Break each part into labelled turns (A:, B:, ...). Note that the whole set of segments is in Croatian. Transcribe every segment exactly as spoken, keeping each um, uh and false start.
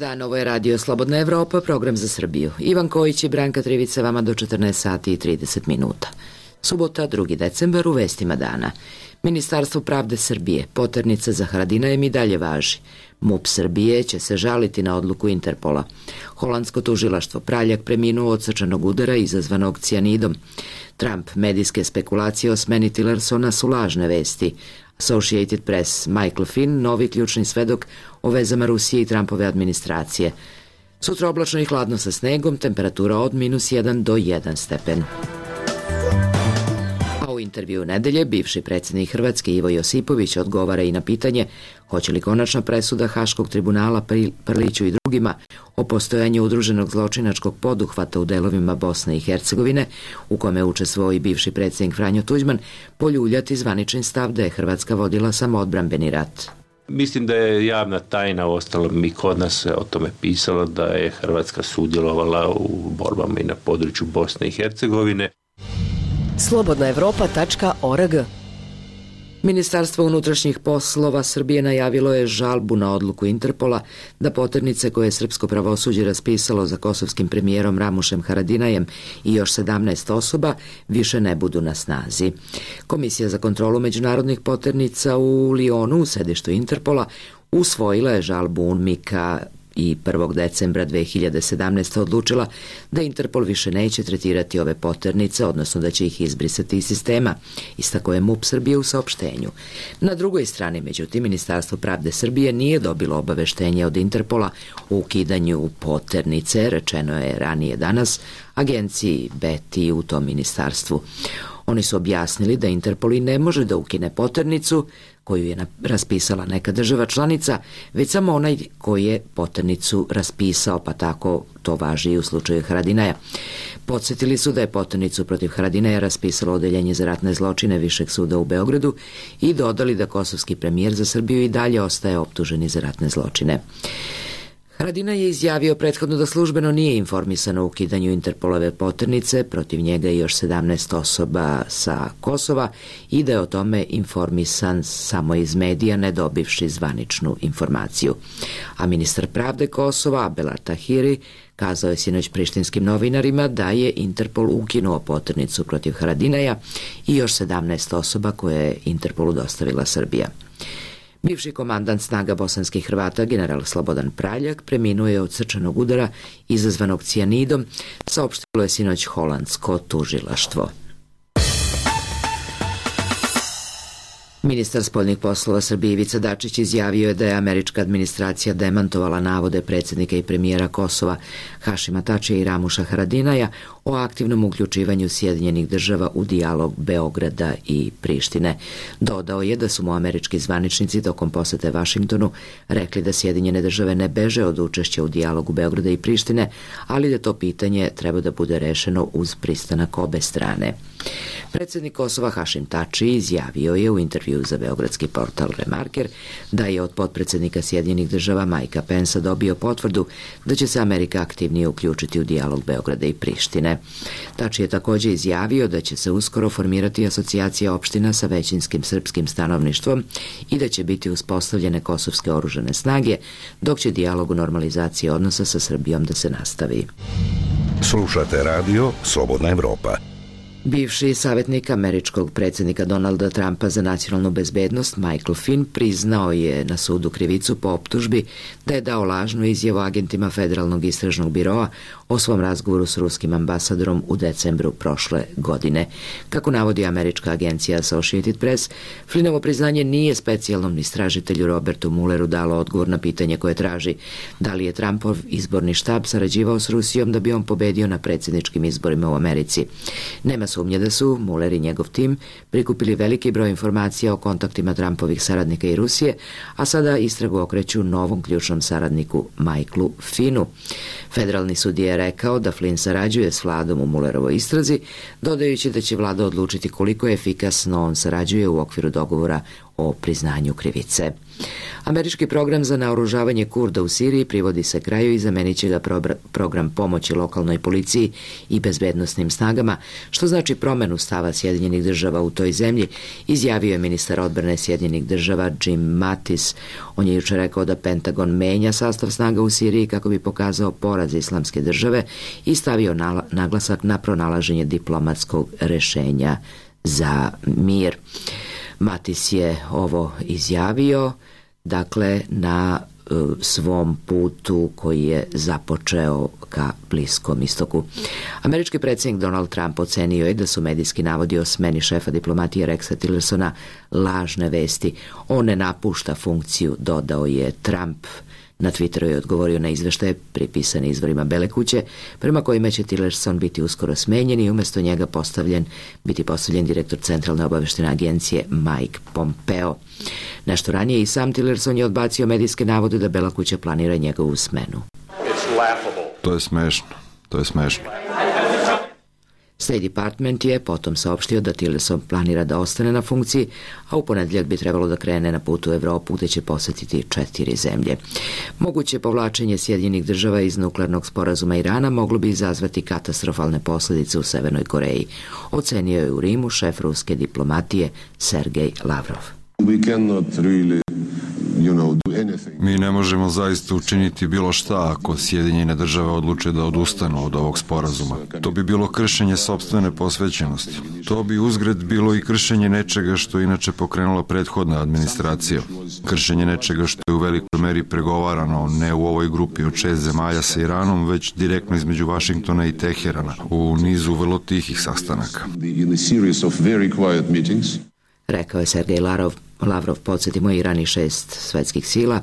A: dan, ovo je Radio Slobodna Evropa, program za Srbiju. Ivan Kojić i Branka Trivica vama do četrnaest sati i trideset minuta. Subota, drugi decembar, u vestima dana. Ministarstvo pravde Srbije, poternica za Haradinajem i dalje važi. MUP Srbije će se žaliti na odluku Interpola. Holandsko tužilaštvo, Praljak preminuo od srčanog udara izazvanog cijanidom. Trump, medijske spekulacije o smeni Tillersona su lažne vesti. Associated Press, Michael Finn, novi ključni svedok o vezama Rusije i Trumpove administracije. Sutra oblačno i hladno sa snegom, temperatura od minus jedan do jedan stepen. A u intervju nedelje bivši predsjednik Hrvatske Ivo Josipović odgovara i na pitanje hoće li konačna presuda Haškog tribunala Prliću i drugima o postojanju udruženog zločinačkog poduhvata u delovima Bosne i Hercegovine, u kome učestvovao i bivši predsjednik Franjo Tuđman, poljuljati zvanični stav da je Hrvatska vodila samoodbrambeni rat.
B: Mislim da je javna tajna, uostalom i kod nas o tome pisalo, da je Hrvatska sudjelovala u borbama i na području Bosne i Hercegovine.
C: slobodna evropa tačka org.
A: Ministarstvo unutrašnjih poslova Srbije najavilo je žalbu na odluku Interpola da poternice koje je srpsko pravosuđe raspisalo za kosovskim premijerom Ramušem Haradinajem i još sedamnaest osoba više ne budu na snazi. Komisija za kontrolu međunarodnih poternica u Lionu, u sedištu Interpola, usvojila je žalbu UNMIK-a i prvog decembra dve hiljade sedamnaeste. odlučila da Interpol više neće tretirati ove poternice, odnosno da će ih izbrisati iz sistema, istako je MUP Srbije u saopštenju. Na drugoj strani, međutim, Ministarstvo pravde Srbije nije dobilo obaveštenje od Interpola o ukidanju poternice, rečeno je ranije danas agenciji B E T I u tom ministarstvu. Oni su objasnili da Interpol i ne može da ukine poternicu koju je raspisala neka država članica, već samo onaj koji je poternicu raspisao, pa tako to važi i u slučaju Haradinaja. Podsjetili su da je poternicu protiv Haradinaja raspisalo Odeljenje za ratne zločine Višeg suda u Beogradu i dodali da kosovski premijer za Srbiju i dalje ostaje optuženi za ratne zločine. Haradinaj je izjavio prethodno da službeno nije informisan o ukidanju Interpolove poternice, protiv njega i još sedamnaest osoba sa Kosova i da je o tome informisan samo iz medija, ne dobivši zvaničnu informaciju. A ministar pravde Kosova, Abdel Tahiri, kazao je sinoć prištinskim novinarima da je Interpol ukinuo poternicu protiv Haradinaja i još sedamnaest osoba koje je Interpolu dostavila Srbija. Bivši komandant snaga bosanskih Hrvata, general Slobodan Praljak, preminuo je od srčanog udara izazvanog cijanidom, saopštilo je sinoć holandsko tužilaštvo. Ministar spoljnih poslova Srbije Ivica Dačić izjavio je da je američka administracija demantovala navode predsjednika i premijera Kosova Hašima Tačija i Ramuša Haradinaja o aktivnom uključivanju Sjedinjenih država u dijalog Beograda i Prištine. Dodao je da su mu američki zvaničnici tokom posete Vašingtonu rekli da Sjedinjene države ne beže od učešća u dijalogu Beograda i Prištine, ali da to pitanje treba da bude rešeno uz pristanak obe strane. Predsjednik Kosova Hašim Tači izjavio je u intervju za beogradski portal Remarker da je od potpredsjednika Sjedinjenih država Majka Pensa dobio potvrdu da će se Amerika aktivnije uključiti u dijalog Beograda i Prištine. Tači je također izjavio da će se uskoro formirati asocijacija opština sa većinskim srpskim stanovništvom i da će biti uspostavljene kosovske oružane snage, dok će dijalog u normalizaciji odnosa sa Srbijom da se nastavi.
D: Slušate radio Slobodna Evropa.
A: Bivši savjetnik američkog predsjednika Donalda Trumpa za nacionalnu bezbednost Michael Finn priznao je na sudu krivicu po optužbi da je dao lažnu izjavu agentima Federalnog istražnog biroa o svom razgovoru s ruskim ambasadorom u decembru prošle godine. Kako navodi američka agencija Associated Press, Finnovo priznanje nije specijalnom istražitelju Robertu Mulleru dalo odgovor na pitanje koje traži da li je Trumpov izborni štab sarađivao s Rusijom da bi on pobedio na predsjedničkim izborima u Americi. Nema sumnje da su Muller i njegov tim prikupili veliki broj informacija o kontaktima Trumpovih saradnika i Rusije, a sada istragu okreću novom ključnom saradniku Michaelu Finnu. Federalni sud je rekao da Flynn sarađuje s vladom u Mullerovoj istrazi, dodajući da će vlada odlučiti koliko je efikasno on sarađuje u okviru dogovora o priznanju krivice. Američki program za naoružavanje Kurda u Siriji privodi se kraju i zamenit će ga program pomoći lokalnoj policiji i bezbednosnim snagama, što znači promenu stava Sjedinjenih država u toj zemlji, izjavio je ministar odbrane Sjedinjenih država Jim Mattis. On je jučer rekao da Pentagon menja sastav snaga u Siriji kako bi pokazao poraz Islamske države i stavio naglasak na pronalaženje diplomatskog rešenja za mir. Mattis je ovo izjavio dakle na uh, svom putu koji je započeo ka Bliskom istoku. Američki predsjednik Donald Trump ocenio je da su medijski navodi o smeni šefa diplomatije Rexa Tillersona lažne vesti. On ne napušta funkciju, dodao je Trump. Na Twitteru je odgovorio na izveštaje pripisane izvorima Bele kuće, prema kojima će Tillerson biti uskoro smenjen i umjesto njega postavljen, biti postavljen direktor Centralne obaveštene agencije Mike Pompeo. Nešto ranije i sam Tillerson je odbacio medijske navode da Bela kuća planira njegovu smenu.
E: To je smešno, to je smešno.
A: State Department je potom saopštio da Tillerson planira da ostane na funkciji, a u ponedjeljak bi trebalo da krene na put u Evropu gde će posetiti četiri zemlje. Moguće povlačenje Sjedinjenih država iz nuklearnog sporazuma Irana moglo bi izazvati katastrofalne posljedice u Severnoj Koreji, ocenio je u Rimu šef ruske diplomatije Sergej Lavrov.
E: We cannot really, you know, do anything. Mi ne možemo zaista učiniti bilo šta ako Sjedinjene države odluče da odustanu od ovog sporazuma. To bi bilo kršenje sopstvene posvećenosti. To bi uzgred bilo i kršenje nečega što je inače pokrenula prethodna administracija. Kršenje nečega što je u velikoj meri pregovarano ne u ovoj grupi od šest zemalja sa Iranom, već direktno između Vašingtona i Teherana u nizu vrlo tihih sastanaka.
A: Rekao je Sergej Lavrov. Lavrov, podsjetimo, Iran i šest svetskih sila,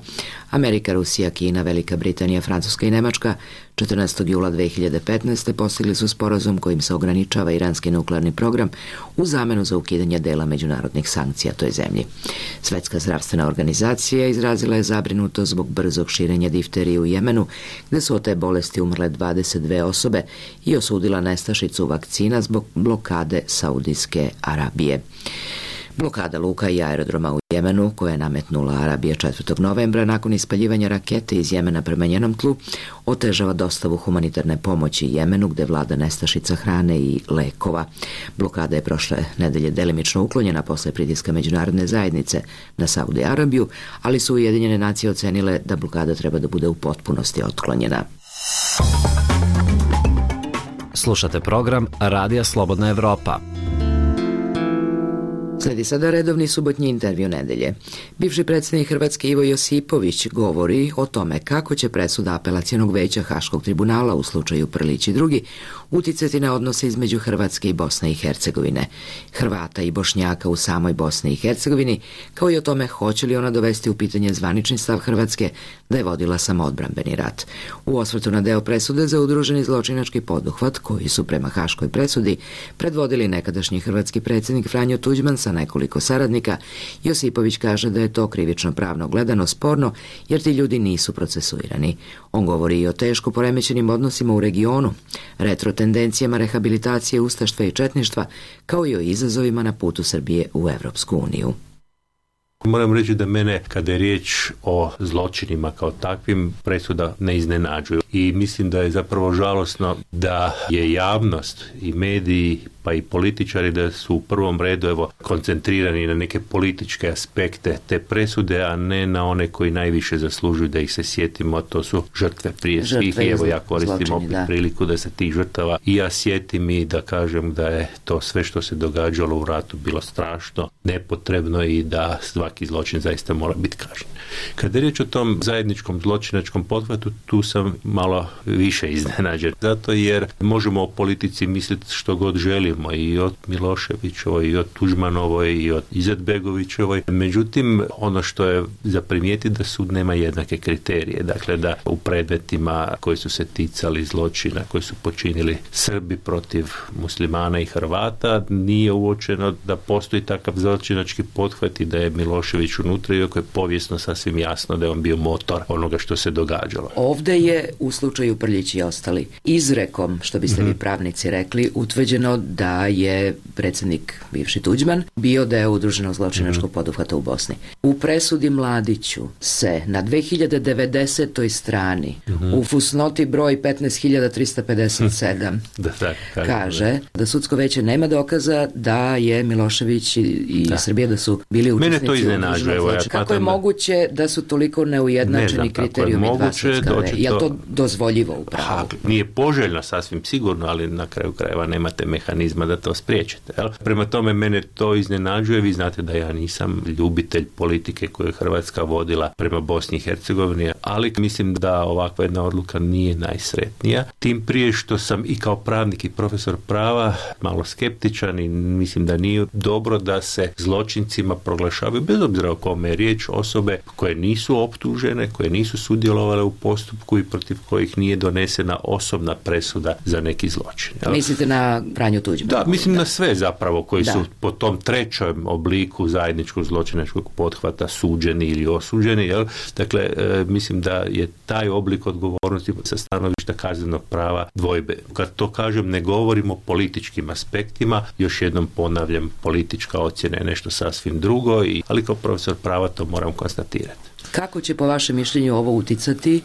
A: Amerika, Rusija, Kina, Velika Britanija, Francuska i Nemačka, četrnaestog jula dve hiljade petnaeste. postigli su sporazum kojim se ograničava iranski nuklearni program u zamenu za ukidanje dela međunarodnih sankcija toj zemlji. Svetska zdravstvena organizacija izrazila je zabrinutost zbog brzog širenja difterije u Jemenu, gde su od te bolesti umrle dvadeset dve osobe, i osudila nestašicu vakcina zbog blokade Saudijske Arabije. Blokada luka i aerodroma u Jemenu, koja je nametnula Arabija četvrtog novembra nakon ispaljivanja rakete iz Jemena prema njenom tlu, otežava dostavu humanitarne pomoći Jemenu, gde vlada nestašica hrane i lekova. Blokada je prošle nedelje delimično uklonjena posle pritiska međunarodne zajednice na Saudi Arabiju, ali su Ujedinjene nacije ocenile da blokada treba da bude u potpunosti otklonjena.
F: Slušate program Radija Slobodna Evropa.
A: Sledi sada redovni subotnji intervju nedelje. Bivši predsjednik Hrvatske Ivo Josipović govori o tome kako će presuda apelacionog veća Haškog tribunala u slučaju Prlić i drugi uticati na odnose između Hrvatske i Bosne i Hercegovine, Hrvata i Bošnjaka u samoj Bosni i Hercegovini, kao i o tome hoće li ona dovesti u pitanje zvanični stav Hrvatske da je vodila samoodbrambeni rat. U osvrtu na deo presude za udruženi zločinački poduhvat, koji su prema Haškoj presudi predvodili nekadašnji hrvatski predsjednik Franjo Tuđman sa nekoliko saradnika, Josipović kaže da je to krivično pravno gledano sporno jer ti ljudi nisu procesuirani. On govori i o teško poremećenim odnosima u regionu, retro tendencijama rehabilitacije ustaštva i četništva, kao i o izazovima na putu Srbije u Evropsku uniju.
B: Moram reći da mene, kada je riječ o zločinima kao takvim, presuda ne iznenađuju. I mislim da je zapravo žalosno da je javnost i mediji pa i političari da su u prvom redu evo koncentrirani na neke političke aspekte te presude, a ne na one koji najviše zaslužuju da ih se sjetimo, to su žrtve prije svih. I evo ja koristim zločini, opet da. priliku da se tih žrtava i ja sjetim i da kažem da je to sve što se događalo u ratu bilo strašno, nepotrebno i da svaki zločin zaista mora biti kažnjen. Kada je riječ o tom zajedničkom zločinačkom pothvatu, tu sam malo više iznenađen. Zato jer možemo o politici misliti što god želimo, i od Miloševićovoj, i od Tuđmanovoj, i od Izetbegovićevoj. Međutim, ono što je za primijetiti da sud nema jednake kriterije. Dakle, da u predmetima koji su se ticali zločina, koji su počinili Srbi protiv muslimana i Hrvata, nije uočeno da postoji takav zločinački pothvat i da je Milošević unutra, iako je povijesno sasvim jasno da je on bio motor onoga što se događalo.
A: Ovde je u u slučaju Prljić i ostali izrekom, što biste mm-hmm. vi pravnici rekli, utvrđeno da je predsjednik bivši Tuđman bio deo udruženog zločinačkog mm-hmm. poduhvata u Bosni. U presudi Mladiću se na dve hiljade devedesetoj strani mm-hmm. u fusnoti broj petnaest hiljada trista pedeset sedam
B: da, da,
A: kaže da sudsko veće nema dokaza da je Milošević i, i
B: da.
A: Srbija da su bili učesnici.
B: Mene to iznenađuje. Evo, ja
A: kako je moguće da su toliko neujednačeni kriterijumi dva sudska veća? Je li to dozvoljivo upravo?
B: Ha, nije poželjno sasvim sigurno, ali na kraju krajeva nemate mehanizma da to spriječite. Jel? Prema tome mene to iznenađuje. Vi znate da ja nisam ljubitelj politike koju je Hrvatska vodila prema Bosni i Hercegovini, ali mislim da ovakva jedna odluka nije najsretnija. Tim prije što sam i kao pravnik i profesor prava malo skeptičan i mislim da nije dobro da se zločincima proglašavaju, bez obzira o kome je riječ, osobe koje nisu optužene, koje nisu sudjelovale u postupku i protiv kojih nije donesena osobna presuda za neki zločin. Jel?
A: Mislite na Franju Tuđmana?
B: Da, mislim da. na sve zapravo koji
A: da.
B: su po tom trećem obliku zajedničkog zločinačkog pothvata suđeni ili osuđeni. Jel? Dakle, e, mislim da je taj oblik odgovornosti sa stanovišta kaznenog prava dvojbe. Kad to kažem, ne govorim o političkim aspektima, još jednom ponavljam, politička ocjena je nešto sasvim drugo, i, ali kao profesor prava to moram konstatirati.
A: Kako će po vašem mišljenju ovo uticati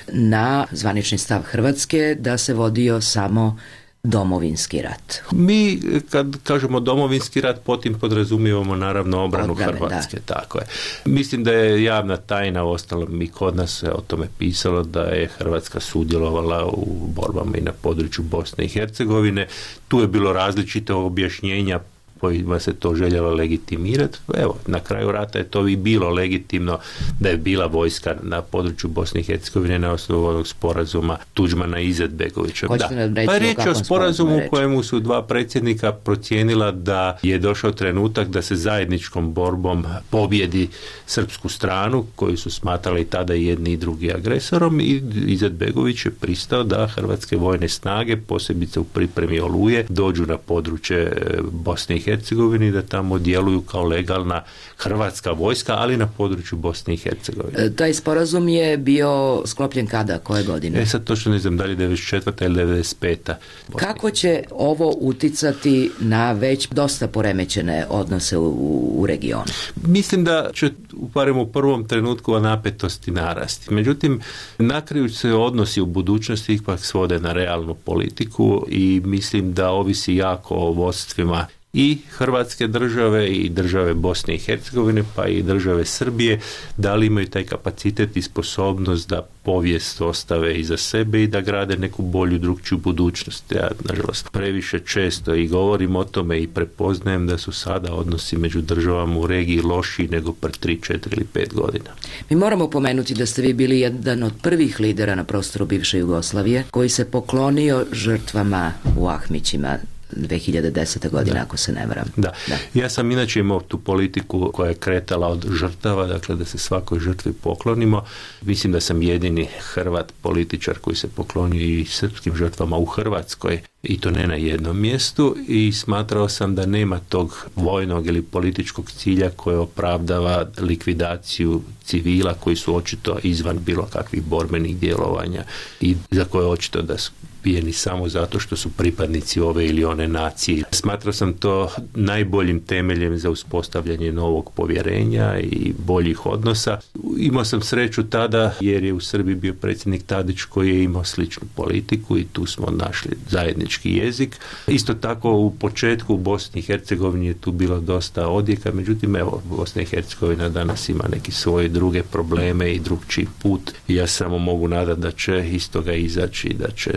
A: na zvanični stav Hrvatske da se vodio samo domovinski rat?
B: Mi kad kažemo domovinski rat, potim podrazumijevamo naravno obranu
A: Odbrane,
B: Hrvatske.
A: Da.
B: Tako je. Mislim da je javna tajna, uostalom i kod nas se o tome pisalo, da je Hrvatska sudjelovala u borbama i na području Bosne i Hercegovine. Tu je bilo različite objašnjenja kojima se to željelo legitimirati. Evo, na kraju rata je to i bilo legitimno da je bila vojska na području Bosne i Hercegovine na osnovu onog sporazuma Tuđmana i Izetbegovića. Da. Pa riječ je o sporazumu u kojemu su dva predsjednika procijenila da je došao trenutak da se zajedničkom borbom pobjedi srpsku stranu, koju su smatrali tada i jedni i drugi agresorom, i Izetbegović je pristao da hrvatske vojne snage, posebice u pripremi Oluje, dođu na područje Bosne i Hercegovini, da tamo djeluju kao legalna hrvatska vojska, ali na području Bosne i Hercegovine.
A: E, taj sporazum je bio sklopljen kada? Koje godine?
B: E sad točno ne znam da li devedeset četvrta ili devedeset peta
A: Kako će ovo uticati na već dosta poremećene odnose u, u regionu?
B: Mislim da će barem u prvom trenutku napetosti narasti. Međutim, na kraju se odnosi u budućnosti ipak svode na realnu politiku i mislim da ovisi jako o vodstvima i Hrvatske države i države Bosne i Hercegovine, pa i države Srbije, da li imaju taj kapacitet i sposobnost da povijest ostave iza sebe i da grade neku bolju, drugčiju budućnost. Ja, nažalost, previše često i govorim o tome i prepoznajem da su sada odnosi među državama u regiji lošiji nego pre tri, četiri ili pet godina.
A: Mi moramo pomenuti da ste vi bili jedan od prvih lidera na prostoru bivše Jugoslavije koji se poklonio žrtvama u Ahmićima dve hiljade desete. godine, da. Ako se ne varam.
B: Da. da. Ja sam inače imao tu politiku koja je kretala od žrtava, dakle da se svakoj žrtvi poklonimo. Mislim da sam jedini Hrvat političar koji se poklonio i srpskim žrtvama u Hrvatskoj, i to ne na jednom mjestu, i smatrao sam da nema tog vojnog ili političkog cilja koje opravdava likvidaciju civila koji su očito izvan bilo kakvih borbenih djelovanja i za koje očito da su ubijeni samo zato što su pripadnici ove ili one nacije. Smatrao sam to najboljim temeljem za uspostavljanje novog povjerenja i boljih odnosa. Imao sam sreću tada jer je u Srbiji bio predsjednik Tadić koji je imao sličnu politiku i tu smo našli zajednički jezik. Isto tako u početku u Bosni i Hercegovini je tu bilo dosta odjeka, međutim evo, Bosna i Hercegovina danas ima neki svoje druge probleme i drugčiji put i ja samo mogu nadati da će iz toga izaći i da će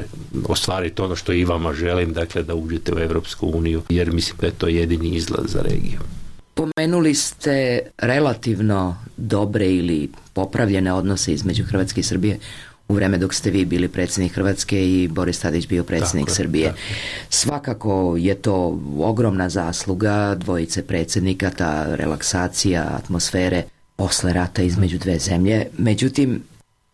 B: ostvariti ono što i vama želim, dakle da uđete u Europsku uniju, jer mislim da je to jedini izlaz za regiju.
A: Pomenuli ste relativno dobre ili popravljene odnose između Hrvatske i Srbije u vreme dok ste vi bili predsjednik Hrvatske i Boris Tadić bio predsjednik tako, Srbije. Tako. Svakako je to ogromna zasluga dvojice predsjednika, ta relaksacija atmosfere posle rata između dve zemlje. Međutim,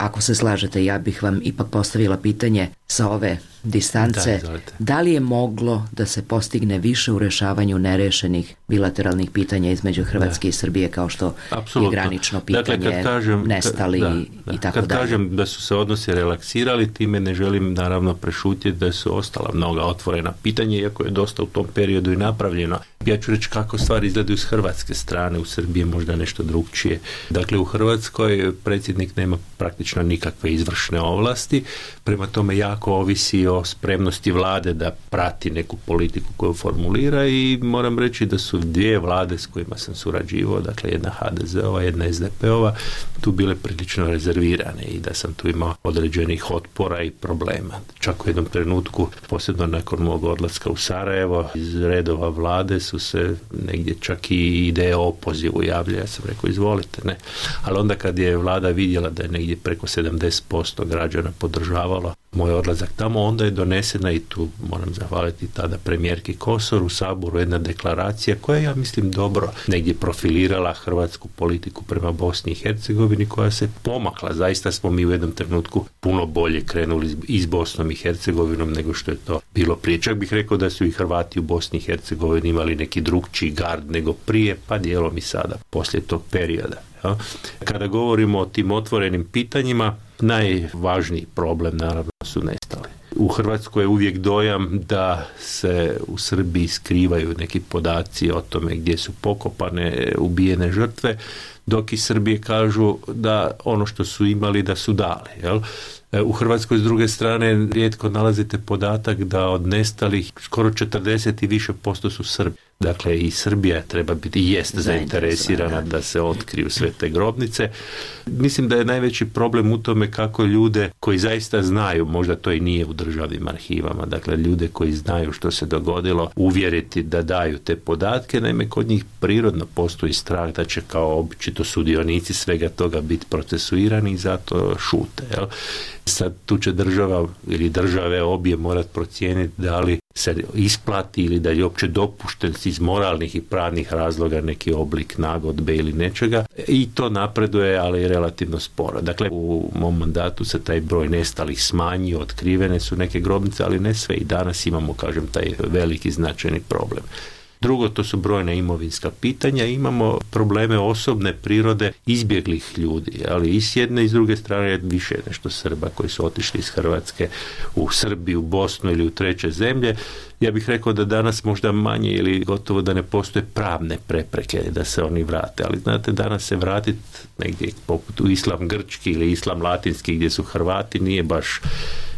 A: Ako se slažete, ja bih vam ipak postavila pitanje sa ove distance. Da, da li je moglo da se postigne više u rešavanju nerešenih bilateralnih pitanja između Hrvatske da. i Srbije, kao što Absolutno. je granično pitanje, dakle, kad kažem, nestali da, da, i tako
B: kad
A: dalje.
B: Kad kažem da su se odnosi relaksirali, time ne želim naravno prešutiti da su ostala mnoga otvorena pitanja, iako je dosta u tom periodu i napravljeno. Ja ću reći kako stvari izgledaju s hrvatske strane, u Srbiji možda nešto drugčije. Dakle, u Hrvatskoj predsjednik nema praktično nikakve izvršne ovlasti, prema tome jako ovisi o spremnosti vlade da prati neku politiku koju formulira i moram reći da su dvije vlade s kojima sam surađivao, dakle jedna ha de ze-ova, jedna es de pe-ova, tu bile prilično rezervirane i da sam tu imao određenih otpora i problema. Čak u jednom trenutku, posebno nakon mog odlaska u Sarajevo, iz redova vlade su se negdje čak i ideje o opozivu javlja. Ja sam rekao, izvolite, ne. Ali onda kad je vlada vidjela da je negdje preko sedamdeset posto građana podržavalo moj odlazak tamo, onda je donesena, i tu moram zahvaliti tada premijerki Kosor, u Saboru jedna deklaracija koja je, ja mislim, dobro negdje profilirala hrvatsku politiku prema Bosni i Hercegovini, koja se pomakla. Zaista smo mi u jednom trenutku puno bolje krenuli i s Bosnom i Hercegovinom nego što je to bilo prije. Čak bih rekao da su i Hrvati u Bosni i Hercegovini imali neki drugčiji gard nego prije, pa dijelom i sada, poslije tog perioda. Ja. Kada govorimo o tim otvorenim pitanjima, najvažniji problem naravno su nestali. U Hrvatskoj je uvijek dojam da se u Srbiji skrivaju neki podaci o tome gdje su pokopane ubijene žrtve, dok iz Srbije kažu da ono što su imali da su dali. Jel? U Hrvatskoj s druge strane rijetko nalazite podatak da od nestalih skoro četrdeset i više posto su Srbi. Dakle, i Srbija treba biti i jest zainteresirana da se otkriju sve te grobnice. Mislim da je najveći problem u tome kako ljude koji zaista znaju, možda to i nije u državnim arhivama, dakle ljude koji znaju što se dogodilo, uvjeriti da daju te podatke. Naime, kod njih prirodno postoji strah da će kao običito sudionici svega toga biti procesuirani i zato šute. Jel? Sad tu će država ili države obje morat procijeniti da li se isplati ili da je uopće dopušten iz moralnih i pravnih razloga neki oblik nagodbe ili nečega, i to napreduje, ali relativno sporo. Dakle, u mom mandatu se taj broj nestalih smanjio, otkrivene su neke grobnice, ali ne sve, i danas imamo, kažem, taj veliki značajni problem. Drugo, to su brojna imovinska pitanja, imamo probleme osobne prirode izbjeglih ljudi, ali i s jedne i s druge strane više nešto Srba koji su otišli iz Hrvatske u Srbiju, u Bosnu ili u treće zemlje. Ja bih rekao da danas možda manje ili gotovo da ne postoje pravne prepreke da se oni vrate, ali znate, danas se vratiti negdje poput u islam grčki ili islam latinski gdje su Hrvati nije baš,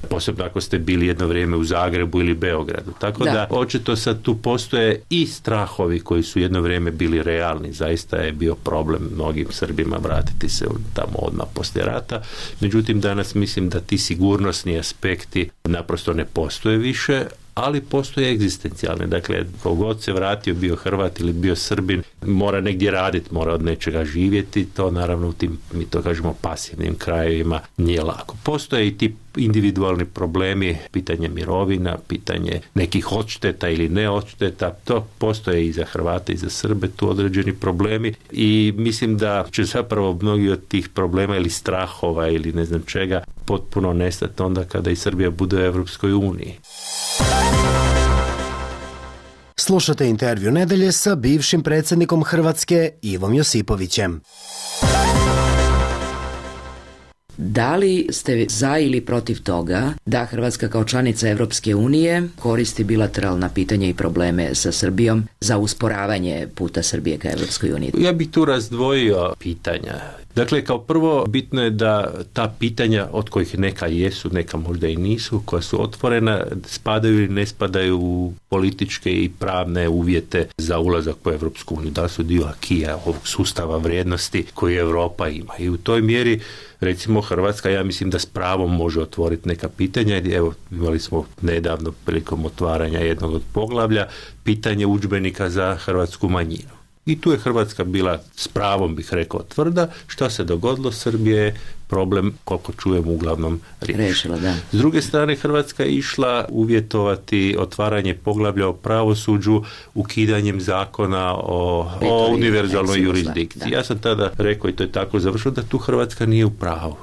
B: posebno ako ste bili jedno vrijeme u Zagrebu ili Beogradu. Tako da, da očito sad tu postoje i strahovi koji su jedno vrijeme bili realni. Zaista je bio problem mnogim Srbima vratiti se tamo odmah poslije rata. Međutim, danas mislim da ti sigurnosni aspekti naprosto ne postoje više, ali postoje egzistencijalne. Dakle, kogod se vratio, bio Hrvat ili bio Srbin, mora negdje raditi, mora od nečega živjeti. To naravno u tim, mi to kažemo, pasivnim krajevima nije lako. Postoje i ti individualni problemi, pitanje mirovina, pitanje nekih odšteta ili ne odšteta, to postoje i za Hrvate i za Srbe, tu određeni problemi, i mislim da će zapravo mnogi od tih problema ili strahova ili ne znam čega potpuno nestati onda kada i Srbija bude u Europskoj uniji.
G: Slušate intervju nedelje sa bivšim predsjednikom Hrvatske Ivom Josipovićem.
A: Da li ste za ili protiv toga da Hrvatska kao članica Evropske unije koristi bilateralna pitanja i probleme sa Srbijom za usporavanje puta Srbije ka Evropskoj uniji?
B: Ja bih tu razdvojio pitanja. Dakle, kao prvo, bitno je da ta pitanja, od kojih neka jesu, neka možda i nisu, koja su otvorena, spadaju ili ne spadaju u političke i pravne uvjete za ulazak u Evropsku uniju. Da su dio akija, ovog sustava vrijednosti koji Europa ima. I u toj mjeri, recimo, Hrvatska, ja mislim da s pravom može otvoriti neka pitanja. Evo, imali smo nedavno prilikom otvaranja jednog od poglavlja pitanje udžbenika za hrvatsku manjinu. I tu je Hrvatska bila, s pravom bih rekao, tvrda. Što se dogodilo? Srbije je problem, koliko čujem, uglavnom riješila. Da. S druge strane, Hrvatska je išla uvjetovati otvaranje poglavlja o pravosuđu ukidanjem zakona o, o univerzalnoj jurisdikciji. Ja sam tada rekao, i to je tako završilo, da tu Hrvatska nije u pravu.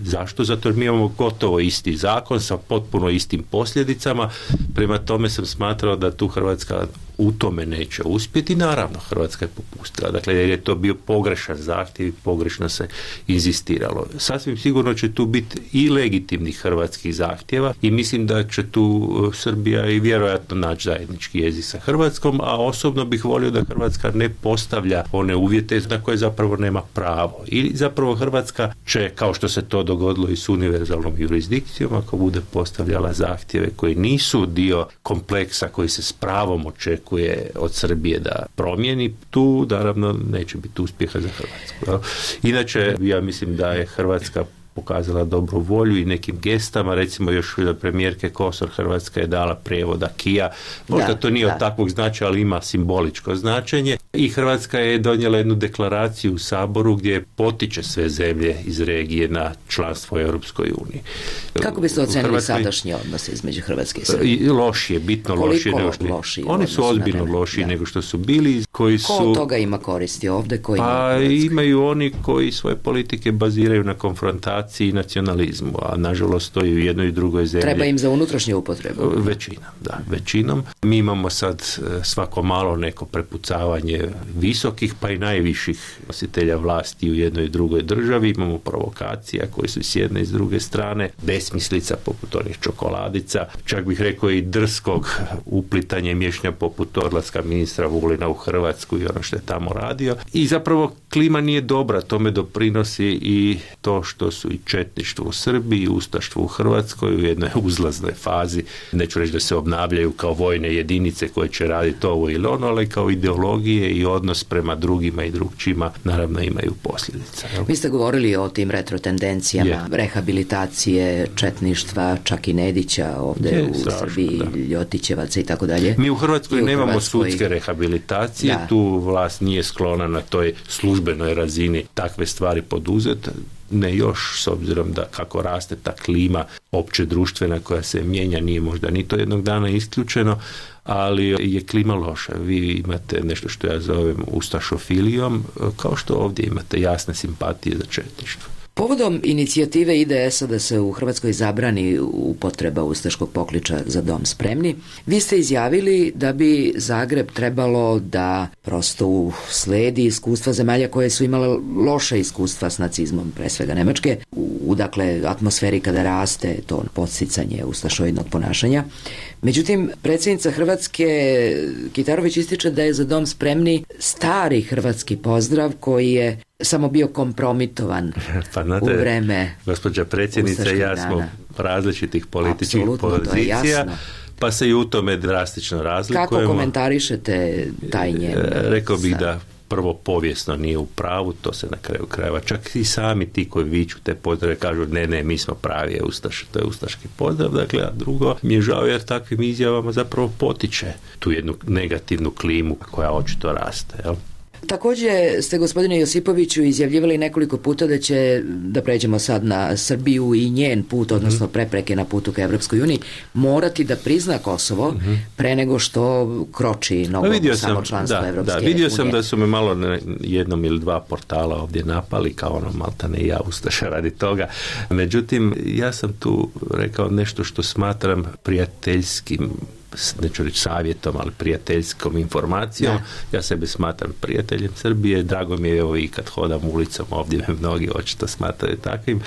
B: Zašto? Zato jer mi imamo gotovo isti zakon sa potpuno istim posljedicama, prema tome sam smatrao da tu Hrvatska u tome neće uspjeti. Naravno, Hrvatska je popustila. Dakle, jer je to bio pogrešan zahtjev i pogrešno se inzistiralo. Sasvim sigurno će tu biti i legitimnih hrvatskih zahtjeva i mislim da će tu Srbija i vjerojatno naći zajednički jezik sa Hrvatskom, a osobno bih volio da Hrvatska ne postavlja one uvjete na koje zapravo nema pravo. I zapravo Hrvatska će, kao što se to dogodilo i s univerzalnom jurisdikcijom, ako bude postavljala zahtjeve koji nisu dio kompleksa koji se s pravom očekuje od Srbije da promijeni, tu naravno neće biti uspjeha za Hrvatsku. Inače, ja mislim da je Hrvatska pokazala dobru volju i nekim gestama, recimo još od premijerke Kosor Hrvatska je dala prijevod acquisa, možda da, to nije da. od takvog značaja, ali ima simboličko značenje, i Hrvatska je donijela jednu deklaraciju u Saboru gdje potiče sve zemlje iz regije na članstvo u Europskoj uniji.
A: Kako biste ocenili Hrvatskoj... sadašnje odnose između Hrvatske i Srbije?
B: Lošije, bitno lošije nego što...
A: lošije.
B: Oni su ozbiljno lošiji nego što su bili, koji su...
A: Ko od toga ima koristi ovdje? Koji
B: pa imaju oni koji svoje politike baziraju na konfrontaciji i nacionalizmu, a nažalost to i u jednoj i drugoj zemlji.
A: Treba im za unutrašnju upotrebu.
B: Većinom, da, većinom. Mi imamo sad svako malo neko prepucavanje visokih pa i najviših nositelja vlasti u jednoj i drugoj državi. Imamo provokacija koje su s jedne i s druge strane, besmislica poput onih čokoladica, čak bih rekao i drskog uplitanja i miješanja poput odlaska ministra Vulina u Hrvatsku i ono što je tamo radio. I zapravo klima nije dobra, tome doprinosi i to što su i četništvo u Srbiji i ustaštvo u Hrvatskoj u jednoj uzlaznoj fazi. Neću reći da se obnavljaju kao vojne jedinice koje će raditi ovo ili ono, ali kao ideologije i odnos prema drugima i drugčima naravno imaju posljedica.
A: Vi ste govorili o tim retrotendencijama, je. rehabilitacije četništva, čak i Nedića ovdje je, u strašno, Srbiji, da. Ljotićevaca i tako dalje.
B: Mi u Hrvatskoj
A: u
B: nemamo
A: Hrvatskoj...
B: sudske rehabilitacije, da. Tu vlast nije sklona na toj službenoj razini takve stvari poduzeti. Ne još, s obzirom da kako raste ta klima opće društvena koja se mijenja, nije možda ni to jednog dana isključeno, ali je klima loša. Vi imate nešto što ja zovem ustašofilijom, kao što ovdje imate jasne simpatije za četništvo.
A: Povodom inicijative I D S-a da se u Hrvatskoj zabrani upotreba ustaškog pokliča Za dom spremni, vi ste izjavili da bi Zagreb trebalo da prosto sledi iskustva zemalja koje su imale loše iskustva s nacizmom, pre svega Nemačke, u dakle atmosferi kada raste to podsticanje ustašoidnog ponašanja. Međutim, predsjednica Hrvatske Kitarović ističe da je Za dom spremni stari hrvatski pozdrav koji je samo bio kompromitovan
B: pa, znate,
A: u vreme
B: gospođa predsjednica i ja smo različitih političkih pozicija, pa se i u tome drastično razlikujemo.
A: Kako komentarišete taj njen?
B: Rekao bih da prvo povijesno nije u pravu, to se na kraju krajeva, čak i sami ti koji viču te pozdrave kažu ne, ne, mi smo pravi je ustaš, to je ustaški pozdrav, dakle, a drugo mi je žao jer takvim izjavama zapravo potiče tu jednu negativnu klimu koja očito raste, jel?
A: Također ste, gospodine Josipoviću, izjavljivali nekoliko puta da će, da pređemo sad na Srbiju i njen put, odnosno prepreke na putu ka Evropskoj uniji, morati da prizna Kosovo mm-hmm. pre nego što kroči nogom u samo članstvo Evropske unije.
B: Da, vidio sam da su me malo jednom ili dva portala ovdje napali, kao ono maltane i ja ustaša radi toga. Međutim, ja sam tu rekao nešto što smatram prijateljskim, neću reći savjetom, ali prijateljskom informacijom. Da. Ja sebe smatram prijateljem Srbije, drago mi je evo i kad hodam ulicom, ovdje me mnogi očito smatraju takvim.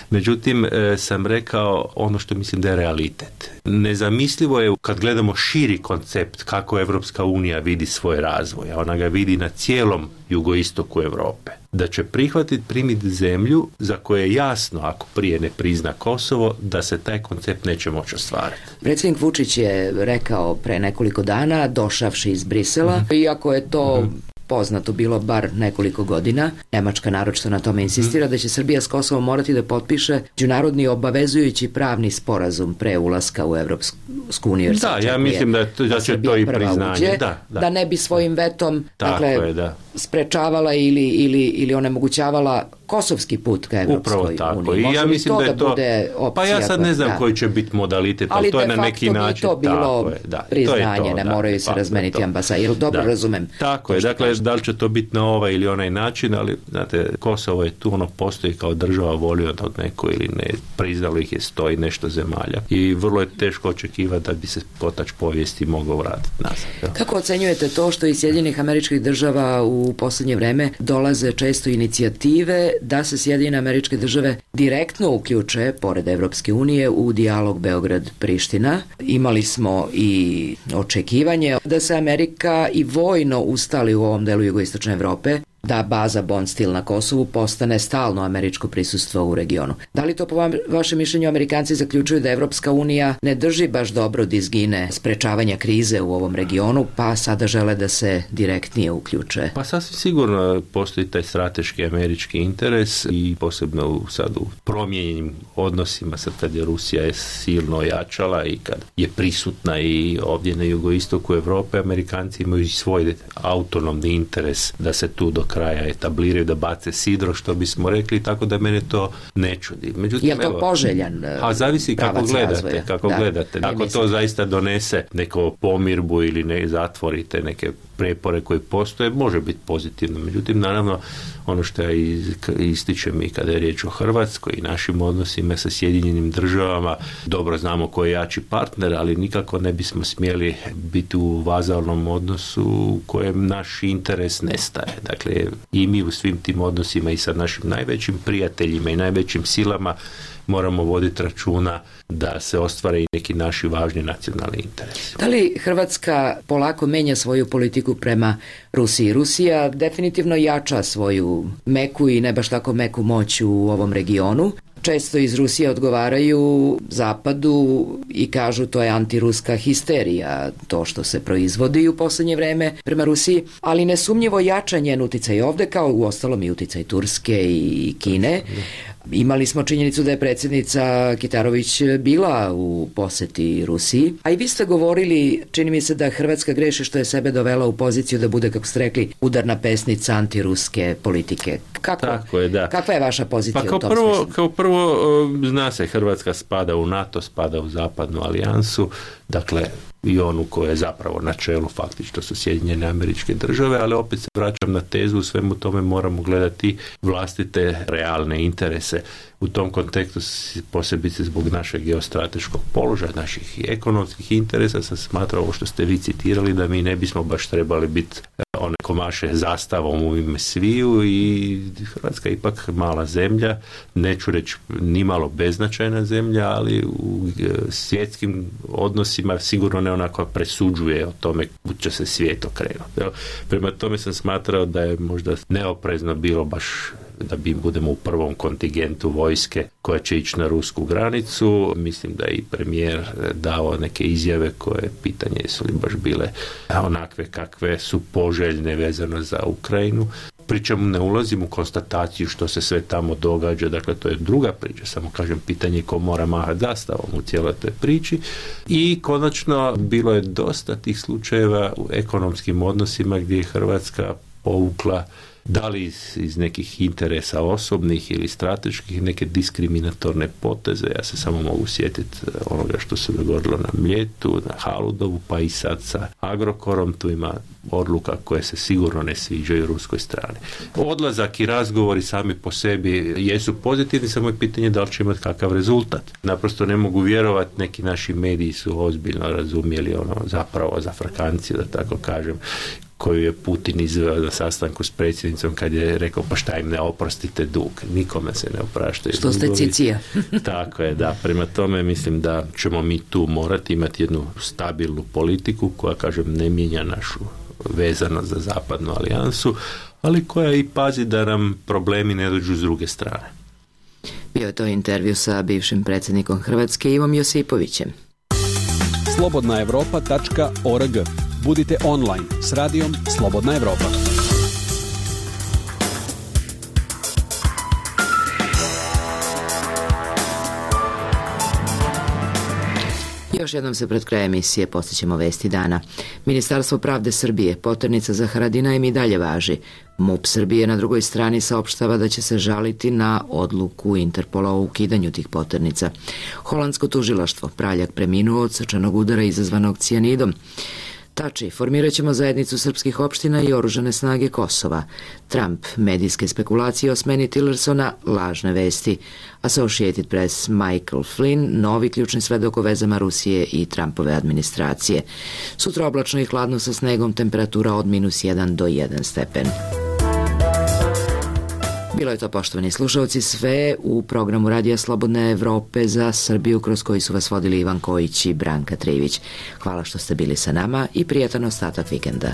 B: Međutim, e, sam rekao ono što mislim da je realitet. Nezamislivo je kad gledamo širi koncept kako Evropska unija vidi svoj razvoj, a ona ga vidi na cijelom jugoistoku Europe, da će prihvatiti primiti zemlju za koje je jasno, ako prije ne prizna Kosovo, da se taj koncept neće moći ostvariti.
A: Predsjednik Vučić je rekao pre nekoliko dana, došavši iz Brisela, mm-hmm. iako je to mm-hmm. poznato bilo bar nekoliko godina, Nemačka naročito na tome insistira, mm-hmm. da će Srbija s Kosovom morati da potpiše međunarodni obavezujući pravni sporazum pre ulaska u Evropsku uniju.
B: Da, ja mislim da, to, da će to i priznanje.
A: Uđe,
B: da, da.
A: da ne bi svojim vetom dakle,
B: je, da.
A: sprečavala ili, ili, ili onemogućavala kosovski put ka Evropskoj
B: Upravo tako.
A: uniji.
B: I
A: Može
B: ja mislim
A: to
B: da je to,
A: bude opcija?
B: Pa ja sad ne znam
A: da.
B: koji će biti modalitet, ali to je na neki način.
A: Ali de facto bi to bilo
B: je, da,
A: priznanje,
B: to je to,
A: ne
B: da,
A: moraju se razmeniti ambasade. Jel dobro
B: da.
A: razumem?
B: Tako je, dakle,
A: kažete.
B: da li će to biti na ovaj ili onaj način, ali znate, Kosovo je tu, ono postoji kao država, volio da od neko ili ne, priznalo ih je sto i nešto zemalja. I vrlo je teško očekivati da bi se kotač povijesti mogao vratiti nazad. Ja.
A: Kako ocenjujete to što iz Sjedinjenih Američkih Država u posljednje vreme dolaze često inicijative da se Sjedinjene Američke Države direktno uključe, pored Evropske unije, u dijalog Beograd-Priština? Imali smo i očekivanje da se Amerika i vojno ustali u ovom delu jugoistočne Evrope, da baza Bond Steel na Kosovu postane stalno američko prisustvo u regionu. Da li to po vam, vašem mišljenju Amerikanci zaključuju da Evropska unija ne drži baš dobro dizgine sprečavanja krize u ovom regionu, pa sada žele da se direktnije uključe?
B: Pa sasvim sigurno postoji taj strateški američki interes i posebno u, sad u promijenjenim odnosima, sad kad je Rusija je silno ojačala i kad je prisutna i ovdje na jugoistoku Europe, Amerikanci imaju svoj autonomni interes da se tu do kraja etabliraju, da bace sidro, što bismo rekli, tako da mene to ne čudi. Međutim,
A: je li to
B: evo,
A: poželjan
B: a zavisi kako gledate,
A: razvoja.
B: kako
A: da,
B: gledate. Ako
A: mislim.
B: to zaista donese neko pomirbu ili ne zatvorite neke prepore koji postoje, može biti pozitivno. Međutim, naravno, ono što ja ističem i kada je riječ o Hrvatskoj i našim odnosima sa Sjedinjenim Državama, dobro znamo ko je jači partner, ali nikako ne bismo smjeli biti u vazalnom odnosu u kojem naš interes nestaje. Dakle, i mi u svim tim odnosima i sa našim najvećim prijateljima i najvećim silama moramo voditi računa da se ostvare i neki naši važni nacionalni interesi.
A: Da li Hrvatska polako menja svoju politiku prema Rusiji? Rusija definitivno jača svoju meku i ne baš tako meku moć u ovom regionu. Često iz Rusije odgovaraju Zapadu i kažu to je antiruska histerija, to što se proizvodi u posljednje vreme prema Rusiji, ali nesumnjivo jača njen uticaj ovde, kao u ostalom i uticaj Turske i Kine. Imali smo činjenicu da je predsjednica Kitarović bila u posjeti Rusiji, a i vi ste govorili, čini mi se da Hrvatska greši što je sebe dovela u poziciju da bude, kako ste rekli, udarna pesnica antiruske politike. Kako,
B: Tako je, da.
A: Kakva je vaša pozicija
B: pa kao
A: u tom
B: prvo,
A: smislu?
B: kao prvo, zna se, Hrvatska spada u NATO, spada u zapadnu alijansu, dakle i onu koja je zapravo na čelu faktično su Sjedinjene Američke Države, ali opet se vraćam na tezu, u svemu tome moramo gledati vlastite realne interese. U tom kontekstu, posebice zbog našeg geostrateškog položaja, naših i ekonomskih interesa, sam smatrao ovo što ste vi citirali, da mi ne bismo baš trebali biti one komaše zastavom u ime sviju i Hrvatska je ipak mala zemlja, neću reći nimalo beznačajna zemlja, ali u svjetskim odnosima sigurno ne onako presuđuje o tome kud će se svijet okrenuti. Prema tome sam smatrao da je možda neoprezno bilo baš da bi budemo u prvom kontingentu vojske koja će ići na rusku granicu. Mislim da je i premijer dao neke izjave koje pitanje jesu li baš bile onakve kakve su poželjne vezano za Ukrajinu. Pričam, ne ulazim u konstataciju što se sve tamo događa, dakle to je druga priča, samo kažem pitanje ko mora mahati zastavom u cijeloj toj priči. I konačno bilo je dosta tih slučajeva u ekonomskim odnosima gdje je Hrvatska povukla, da li iz, iz nekih interesa osobnih ili strateških, neke diskriminatorne poteze. Ja se samo mogu sjetiti onoga što se dogodilo na Mljetu, na Haludovu, pa i sad sa Agrokorom. Tu ima odluka koje se sigurno ne sviđaju ruskoj strani. Odlazak i razgovori sami po sebi jesu pozitivni, samo je pitanje da li će imati kakav rezultat. Naprosto ne mogu vjerovati, neki naši mediji su ozbiljno razumjeli ono zapravo za Frkanciju, da tako kažem, koju je Putin izveo na sastanku s predsjednicom kad je rekao pa šta im ne oprostite dug. Nikome se ne opraštaju.
A: Što ste cicija.
B: Tako je, da. Prema tome mislim da ćemo mi tu morati imati jednu stabilnu politiku koja, kažem, ne mijenja našu vezanost za zapadnu alijansu, ali koja i pazi da nam problemi ne dođu s druge strane.
A: Bio je to intervju sa bivšim predsjednikom Hrvatske Ivom Josipovićem.
H: slobodna evropa tačka org. Budite online s radijom Slobodna Evropa.
A: Još jednom se pred krajem emisije postićemo vesti dana. Ministarstvo pravde Srbije, poternica za Haradinajem i dalje važi. MUP Srbije na drugoj strani saopštava da će se žaliti na odluku Interpola o ukidanju tih poternica. Holandsko tužilaštvo, Praljak preminuo od srčanog udara izazvanog cijanidom. Tači, formirat ćemo zajednicu srpskih opština i oružane snage Kosova. Trump, medijske spekulacije o smeni Tillersona, lažne vesti. Associated Press, Michael Flynn, novi ključni svedok o vezama Rusije i Trumpove administracije. Sutra oblačno i hladno sa snegom, temperatura od minus jedan do jedan stepen. Bilo je to, poštovani slušalci, sve u programu Radija Slobodne Evrope za Srbiju, kroz koji su vas vodili Ivan Kojić i Branka Trivić. Hvala što ste bili sa nama i prijatan ostatak vikenda.